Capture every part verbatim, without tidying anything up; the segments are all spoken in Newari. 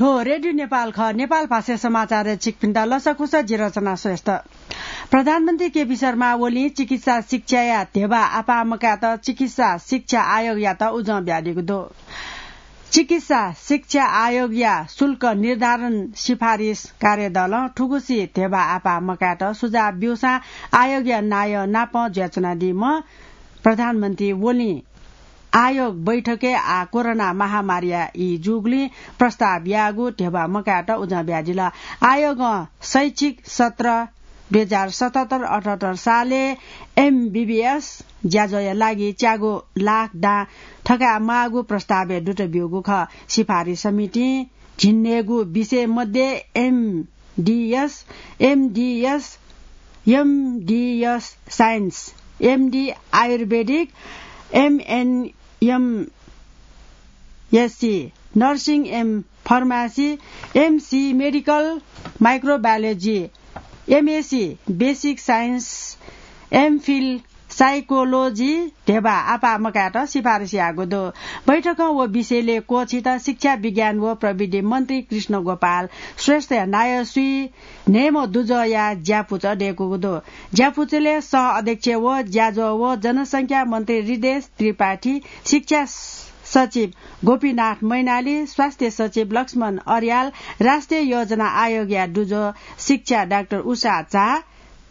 थ्व रेडियो नेपाल खः। नेपाल भाषा समाचारय् छिकपिन्त लसकुस, जि रचना श्रेष्ठ। प्रधानमन्त्री केपी शर्मा ओलीं चिकित्सा शिक्षाया ध्यबा आपाः मकायेत चिकित्सा शिक्षा आयोगयात उजं बियादीगु दु। चिकित्सा शिक्षा आयोगया शुल्क निर्धारण सिफारिस कार्यदलं थुगुसी ध्यबा आपाः मकायेत सुझाव ब्यूसां आयोगया नायः नाप जुयाच्वनादीम्ह प्रधानमन्त्री ओलीं आयोग बैठकय् आः कोरोना महामारीया ई जूगुलिं प्रस्ताव याःगु ध्यबा मकायेत उजं बियादिल। आयोगं शैक्षिक सत्र दुई हजार सतहत्तर अठहत्तर सालय् एमबीबीएस ज्याझ्वःया लागि च्यागू लाख दां थकायेमाःगु प्रस्तावय् दुत ब्यूगु खः। सिफारिस समितिं झिंन्हय्‌गू विषय मध्ये MDS, MDS, MDS science, MD ayurvedic, MNMSC nursing, M pharmacy, MSc medical microbiology, MSc basic science, MPhil psychology ध्यबा आपाः मकायेत सिफारिस याःगु दु। बैठकं व विषयलय् क्वःछित शिक्षा, विज्ञान व प्रविधि मन्त्री कृष्ण गोपाल श्रेष्ठया नायः स्वीन्हय्‌म्ह दुजःया ज्यापुचः दय्‌कूगु दु। ज्यापुचलय् सह अध्यक्ष व ज्याझ्वः व जनसंख्या मन्त्री हृदेश त्रिपाठी, शिक्षा सचिव गोपीनाथ मैनाली, स्वास्थ्य सचिव लक्ष्मण अर्याल, राष्ट्रिय योजना आयोगया दुजः शिक्षा डाक्टर उषा झा,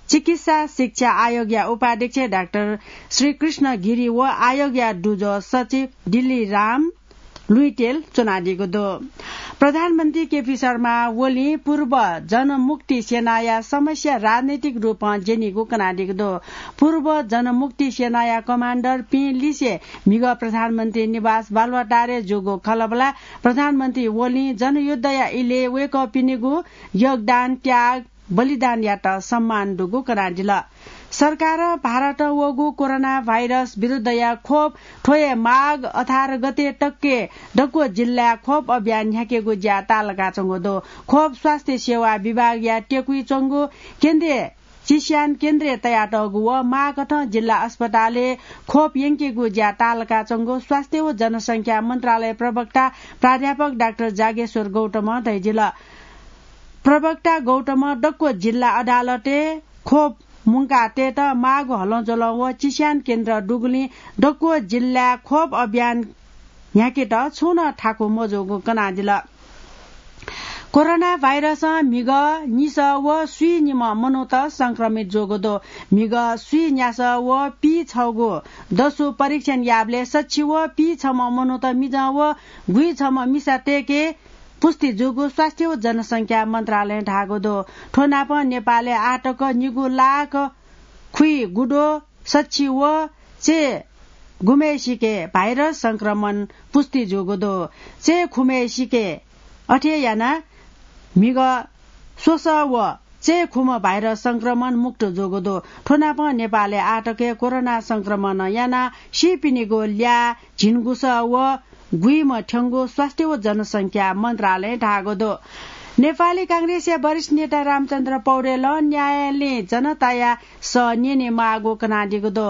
चिकित्सा शिक्षा आयोगया उपाध्यक्ष डाक्टर श्रीकृष्ण गिरी व आयोगया दुजः सचिव दिल्लीराम लुइटेल च्वनादीगु दु। प्रधानमन्त्री केपी शर्मा ओलीं पूर्व जनमुक्ति सेनाया समस्या राजनैतिक रूपं ज्यनीगु कनादीगु दु। पूर्व जनमुक्ति सेनाया कमाण्डरपिं लिसे म्हिगः प्रधानमन्त्री निवास बालुवाटारय् जूगु खँल्हाबल्हाय् प्रधानमन्त्री ओलीं जनयुद्धया इलय् वय्‌कःपिनिगु योगदान, त्याग, बलिदानयात सम्मान दुगु कनादिल। सरकारं भारतं वःगु कोरोना भाइरस विरुद्धया खोप थ्व हे माघ अठार गते तकय् दक्व जिल्लाय् खोप अभियान न्ह्याकेगु ज्या ताःलाकाच्वंगु दु। खोप स्वास्थ्य सेवा विभागया टेकुइ च्वंगु केन्द्रीय चिस्यान केन्द्रय् तयातःगु व माःकथं जिल्ला अस्पतालय् खोप यंकेगु ज्या ताःलाकाच्वंगु स्वास्थ्य व जनसंख्या मन्त्रालय प्रवक्ता प्राध्यापक डाक्टर जागेश्वर गौतमं धयादिल। प्रवक्ता गौतमं दक्व जिल्ला अदालतय् खोप मुंकातयेत माःगु हलंज्वलं व चिस्यान केन्द्र दुगुलिं दक्व जिल्लाय् खोप अभियान न्ह्याकेत छुं नं थाकु मजूगु कनादिल। कोरोना भाइरसं म्हिगः निसः व स्वीनिम्ह मनूत संक्रमित जूगु दु। म्हिगः स्वीन्यासः व पीछगू दसु परीक्षण याःबलय् सछि व पीछम्ह मनूत मिजं व गुइछम्ह मिसातय्‌के पुष्टि जूगु स्वास्थ्य व जनसंख्या मन्त्रालयं धाःगु दु। थ्व नापं नेपालय् आःतक निगू लाख खुइगुद्वः सछि व चय् गुम्हय्‌सिके भाइरस संक्रमण पुष्टि जूगु दु। चय् खुम्हय्‌सिके अथे यानाः म्हिगः स्वसः व चय् खुम्ह भाइरस संक्रमण मुक्त जूगु दु। थ्व नापं नेपालय् आःतक कोरोना संक्रमणं यानाः सीपिनिगु ल्याः झिंगुसः व गुइम्ह थ्यंगु स्वास्थ्य व जनसंख्या मन्त्रालयं धाःगु दु। नेपाली कांग्रेसया वरिष्ठ नेता रामचन्द्र पौडेलं न्यायालयं जनताया सः न्यनेमाःगु कनादीगु दु।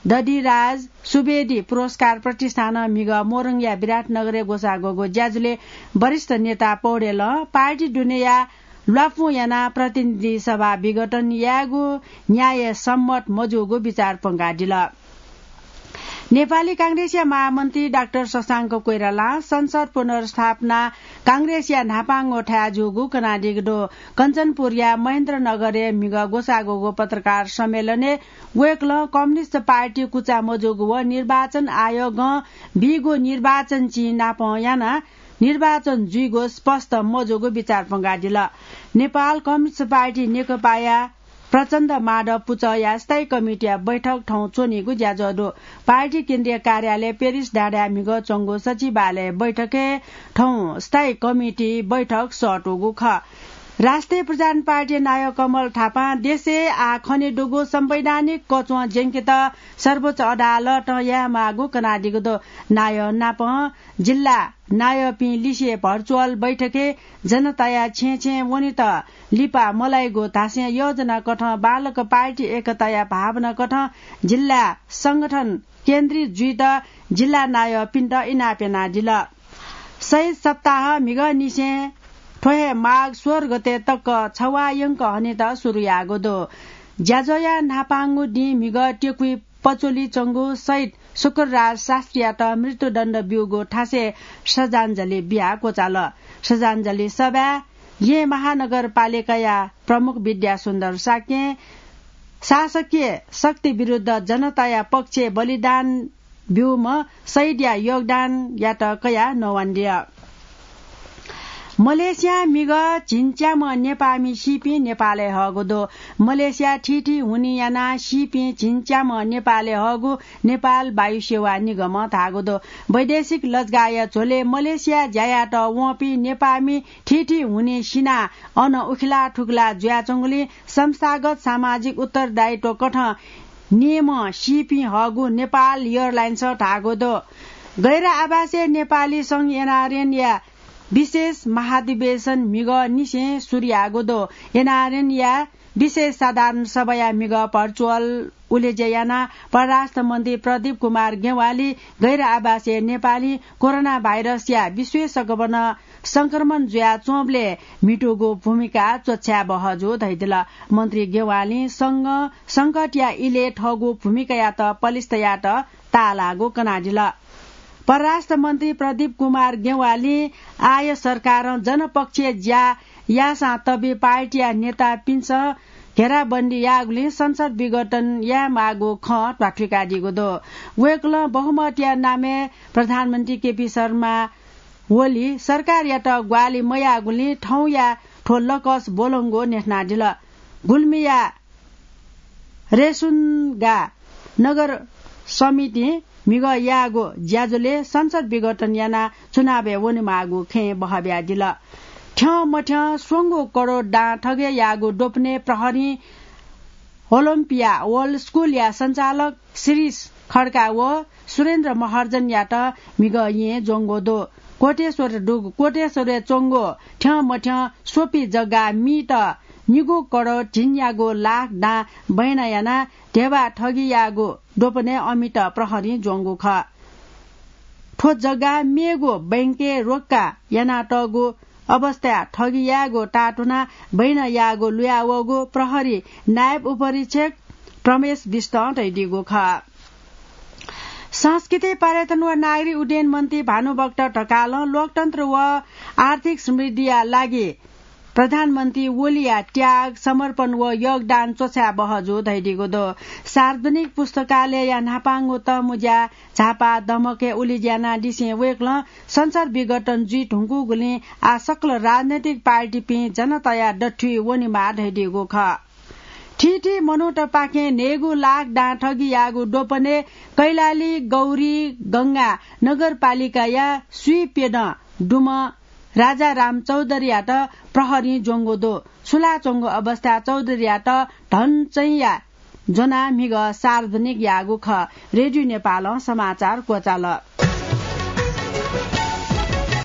दधिराज सुवेदी पुरस्कार प्रतिष्ठानं म्हिगः मोरङया विराटनगरय् ग्वसाः ग्वःगु ज्याझ्वलय् वरिष्ठ नेता पौडेलं पार्टी दुनेया ल्वापुं यानाः प्रतिनिधि सभा विघटन यायेगु न्याय सम्मत मजूगु बिचाः प्वंकादिल। नेपाली कांग्रेसया महामन्त्री डाक्टर शशांक कोइरालां संसद पुनर्स्थापना कांग्रेसया न्हापांगु थाय् जूगु कनादीगु दु। कञ्चनपुरया महेन्द्रनगरय् म्हिगः ग्वसाः ग्वःगु पत्रकार सम्मेलनय् वय्‌कलं कम्युनिस्ट पार्टी कुचा मजूगु व निर्वाचन आयोगं बीगु निर्वाचन चिं नापं यानाः निर्वाचन जुइगु स्पष्ट मजूगु बिचाः प्वंकादिल। नेपाल कम्युनिस्ट पार्टी नेकपाया प्रचण्ड माधव पुचःया स्थायी कमिटीया बैठक थौं च्वनीगु ज्याझ्वः दु। पार्टी केन्द्रीय कार्यालय पेरिस डाँडाय् म्हिगः च्वंगु सचिवालय बैठकय् थौं स्थायी कमिटी बैठक सःतूगु खः। राष्ट्रिय प्रजातन्त्र पार्टी नायः कमल थापां देशय् आः खनेदुगु संवैधानिक कच्वं ज्यंकेत सर्वोच्च अदालतं यायेमाःगु कनादीगु दु। नायः नापं जिल्ला नायःपिं लिसे भर्चुअल बैठकय् जनताया छेँय् छेँय् वनेत लिपा मलाइगु धासें योजना कथं बांलाक पार्टी एकताया भावना कथं जिल्ला संगठन केन्द्रित जुइत जिल्ला नायःपिन्त इनाप यानादिल। शहीद सप्ताह म्हिगःनिसें थ्व हे माघ सोह्र गते तक छवाः यंक हनेत सुरु याःगु दु। ज्याझ्वःया न्हापांगु दिं म्हिगः त्यकुइ पचोली च्वंगु शहीद शुक्रराज शास्त्रीयात मृत्युदण्ड ब्यूगु थासय् श्रद्धाञ्जली बियाः क्वचाल। श्रद्धाञ्जली सभाय् येँ महानगरपालिकाया प्रमुख विद्यासुन्दर शाक्यं शासकीय शक्ति विरुद्ध जनताया पक्षय् बलिदान ब्यूम्ह शहीदया योगदानयात कयाः नवानादिल। मलेसियां म्हिगः झिंच्याम्ह नेपाःमि सीपिं नेपालय् हःगु दु। मलेसिया थीथी हुनिं यानाः सीपिं झिंच्याम्ह नेपालय् हःगु नेपाल वायुसेवा निगमं धाःगु दु। वैदेशिक लजगाःया झ्वलय् मलेसिया ज्या यायेत वंपिं नेपाःमि थीथी हुनिं सिनाः अन उखिला थुखिला जुयाच्वंगुलिं संस्थागत सामाजिक उत्तरदायित्व कथं निम्ह सीपिं हःगु नेपाल एयरलाइन्सं धाःगु दु। गैर आवासीय नेपाली संघ एनआरएनया विशेष महाधिवेशन म्हिगःनिसें सुरु याःगु दु। एनआरएनया विशेष साधारण सभाया म्हिगः भर्चुअल उलेज्या यानाः परराष्ट्र मन्त्री प्रदीप कुमार ज्ञवालीं गैर आवासीय नेपालीं कोरोना भाइरसया विश्वय् सकभनं संक्रमण जुयाच्वंबलय् म्हितूगु भूमिका च्वछाये बहःजू धयादिल। मन्त्री ज्ञवालीं संघं संकटया इलय् थःगु भूमिकायात पलिस्था यायेत ताःलाःगु कनादिल। परराष्ट्र मन्त्री प्रदीप कुमार ज्ञवालीं आःया सरकारं जनपक्षीय ज्या याःसां तबि पार्टीया नेतापिन्सं घेराबन्दी याःगुलिं संसद विघटन यायेमाःगु खँ ध्वाथुइकादीगु दु। वय्कलं बहुमतया नामय् प्रधानमन्त्री केपी शर्मा ओली सरकारयात ग्वाहालि मयाःगुलिं थौंया थ्व लकस ब्वलंगु न्ह्यथनादिल। गुल्मीया रेसुन्गा नगर समितिं म्हिगः याःगु ज्याझ्वलय् संसद विघटन यानाः चुनावय् वनेमाःगु खँय् बहःबियादिल। थ्यंमथ्यं स्वंगू करोड दां थगय् याःगु द्वपनय् प्रहरीं ओलम्पिया वर्ल्ड स्कुलया सञ्चालक शिरीष खड्का व सुरेन्द्र महर्जनयात म्हिगः येँय् ज्वंगु दु। कोटेश्वर दुगु कोटेश्वरय् च्वंगु थ्यंमथ्यं स्वपि जग्गा मीत निगू करोड झिंन्यागू लाख दां बैना यानाः धेबा थगि याःगु द्वपनय् अमित प्रहरीं ज्वंगु खः। थ्व जग्गा मेगु बैंकय् रोक्का यानातःगु अवस्थाय् थगि यायेगु ताःतुनाः बैना याःगु लुयावःगु प्रहरी नायब उपरीक्षक प्रमेश बिष्टं धयादीगु खः। संस्कृति, पर्यटन व नागरिक उड्डयन मन्त्री भानुभक्त ढकालं लोकतन्त्र व आर्थिक समृद्धिया लागि प्रधानमन्त्री ओलीया त्याग, समर्पण व योगदान च्वछाये बहःजू धयादीगु दु। सार्वजनिक पुस्तकालयया न्हापांगु तःमुँज्या झापा दमकय् उलेज्या यानादिसें वय्कलं संसद विघटन जुइ धुंकूगुलिं आः सकल राजनैतिक पार्टीपिं जनताया दथुइ वनेमाः धयादीगु खः। थीथी मनूतपाखें न्हय्गू लाख दां थगि याःगु द्वपनय् कैलाली गौरी गंगा नगरपालिकाया स्वीप्यदँ दुम्ह राजाराम चौधरीयात प्रहरीं ज्वंगु दु। सुलाच्वंगु अवस्थाय् चौधरीयात धनचैँया ज्वनाः म्हिगः सार्वजनिक याःगु खः। रेडियो नेपालं समाचार क्वचाल।